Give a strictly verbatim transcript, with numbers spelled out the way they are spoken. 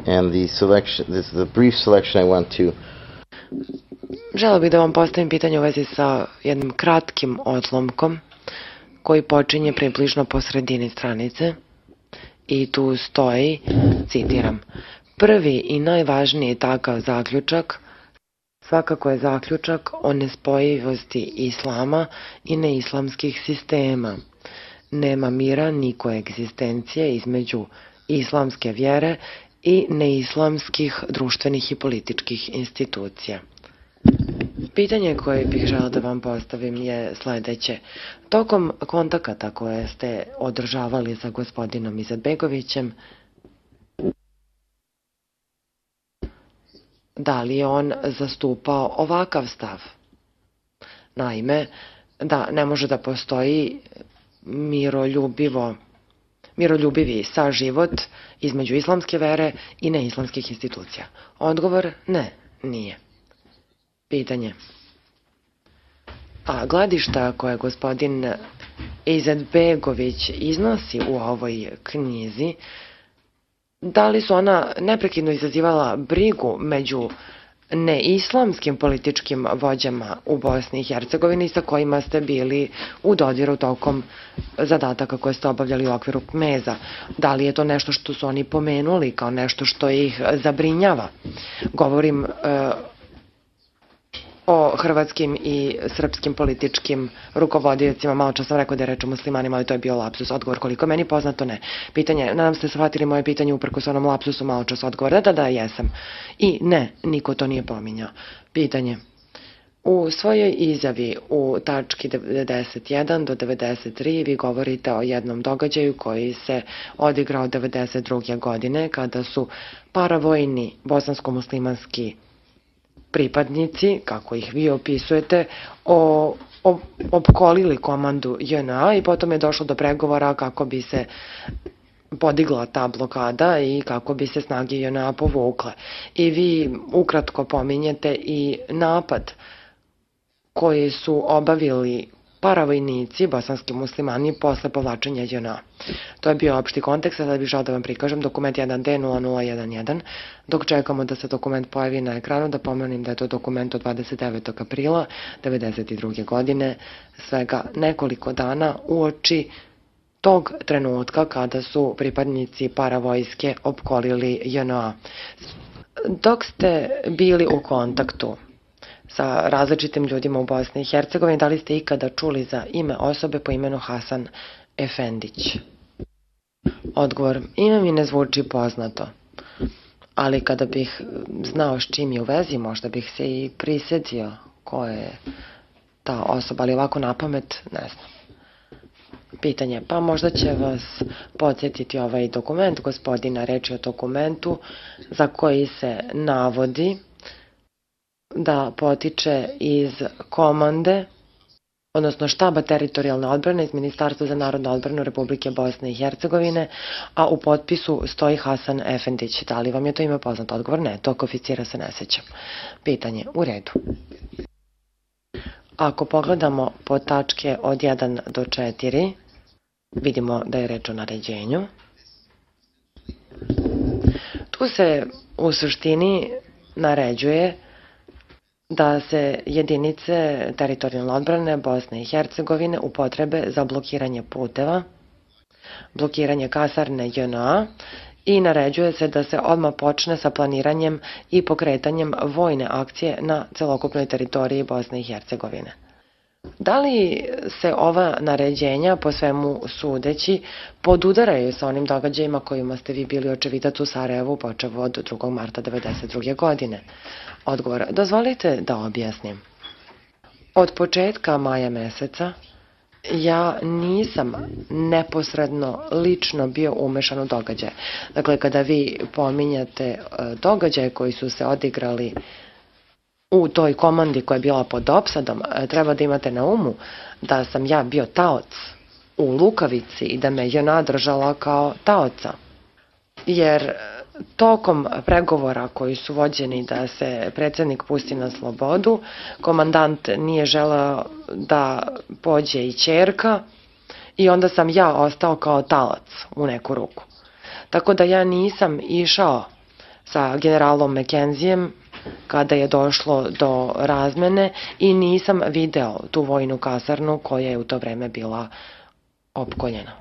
and the selection, this is the brief selection I want to. Želeo bih da vam postavim pitanje u vezi sa jednim kratkim odlomkom koji počinje približno po sredini stranice i tu stoji, citiram, prvi i najvažniji takav zaključak svakako je zaključak o nespojivosti islama i neislamskih sistema. Nema mira ni koegzistencije između islamske vjere i neislamskih društvenih i političkih institucija. Pitanje koje bih želeo da vam postavim je sledeće. Tokom kontakata koje ste održavali sa gospodinom Izetbegovićem, da li je on zastupao ovakav stav? Naime, da ne može da postoji miroljubivo, miroljubivi saživot između islamske vere i neislamskih institucija. Odgovor, ne, nije. Pitanje. A gledišta koje gospodin Izetbegović iznosi u ovoj knjizi, da li su ona neprekidno izazivala brigu među neislamskim političkim vođama u Bosni i Hercegovini sa kojima ste bili u dodiru tokom zadataka koje ste obavljali u okviru Kmeza? Da li je to nešto što su oni pomenuli kao nešto što ih zabrinjava? Govorim e, o hrvatskim i srpskim političkim rukovodiocima. Malo čas sam rekao da je reč o muslimanima, ali to je bio lapsus. Odgovor, koliko meni poznato, ne. Pitanje, nadam ste shvatili moje pitanje uprkos onom lapsusu, malo čas odgovor. Da, da, da, jesam. I ne, niko to nije pominjao. Pitanje. U svojoj izjavi u tački devedeset jedan do devedeset tri vi govorite o jednom događaju koji se odigrao devedeset druge godine kada su paravojni bosansko-muslimanski pripadnici, kako ih vi opisujete, o, o, opkolili komandu J N A i potom je došlo do pregovora kako bi se podigla ta blokada i kako bi se snage J N A povukle. I vi ukratko pominjete i napad koji su obavili paravojnici, bosanski muslimani, posle povlačenja J N A. To je bio opšti kontekst, sada bih žao da vam prikažem dokument jedan D nula nula jedan jedan. Dok čekamo da se dokument pojavi na ekranu, da pomenem da je to dokument od dvadeset devetog aprila devedeset druge godine, svega nekoliko dana uoči tog trenutka kada su pripadnici paravojske opkolili J N A. Dok ste bili u kontaktu sa različitim ljudima u Bosni i Hercegovini, da li ste ikada čuli za ime osobe po imenu Hasan Efendić? Odgovor, ime mi ne zvuči poznato, ali kada bih znao s čim je u vezi, možda bih se i prisjetio ko je ta osoba, ali ovako na pamet ne znam. Pitanje, pa možda će vas podsjetiti ovaj dokument, gospodina, reč je o dokumentu za koji se navodi da potiče iz komande, odnosno štaba teritorijalne odbrane iz Ministarstva za narodnu odbranu Republike Bosne i Hercegovine, a u potpisu stoji Hasan Efendić. Da li vam je to ime poznato? Odgovor, ne, tog oficira se ne sećam. Pitanje, u redu. Ako pogledamo po tačke od jedan do četiri, vidimo da je reč o naređenju. Tu se u suštini naređuje da se jedinice teritorijalne odbrane Bosne i Hercegovine upotrebe za blokiranje puteva, blokiranje kasarne J N A i naređuje se da se odmah počne sa planiranjem i pokretanjem vojne akcije na celokupnoj teritoriji Bosne i Hercegovine. Da li se ova naređenja, po svemu sudeći, podudaraju sa onim događajima kojima ste vi bili očevidac u Sarajevu počev od drugog marta devedeset druge godine? Odgovor, dozvolite da objasnim. Od početka maja meseca ja nisam neposredno lično bio umešan u događaje. Dakle, kada vi pominjate događaje koji su se odigrali u toj komandi koja je bila pod opsadom, treba da imate na umu da sam ja bio taoc u Lukavici i da me J N A držala kao taoca. Jer tokom pregovora koji su vođeni da se predsednik pusti na slobodu, komandant nije želeo da pođe i ćerka i onda sam ja ostao kao talac u neku ruku. Tako da ja nisam išao sa generalom McKenzijem kada je došlo do razmene i nisam video tu vojnu kasarnu koja je u to vreme bila opkoljena.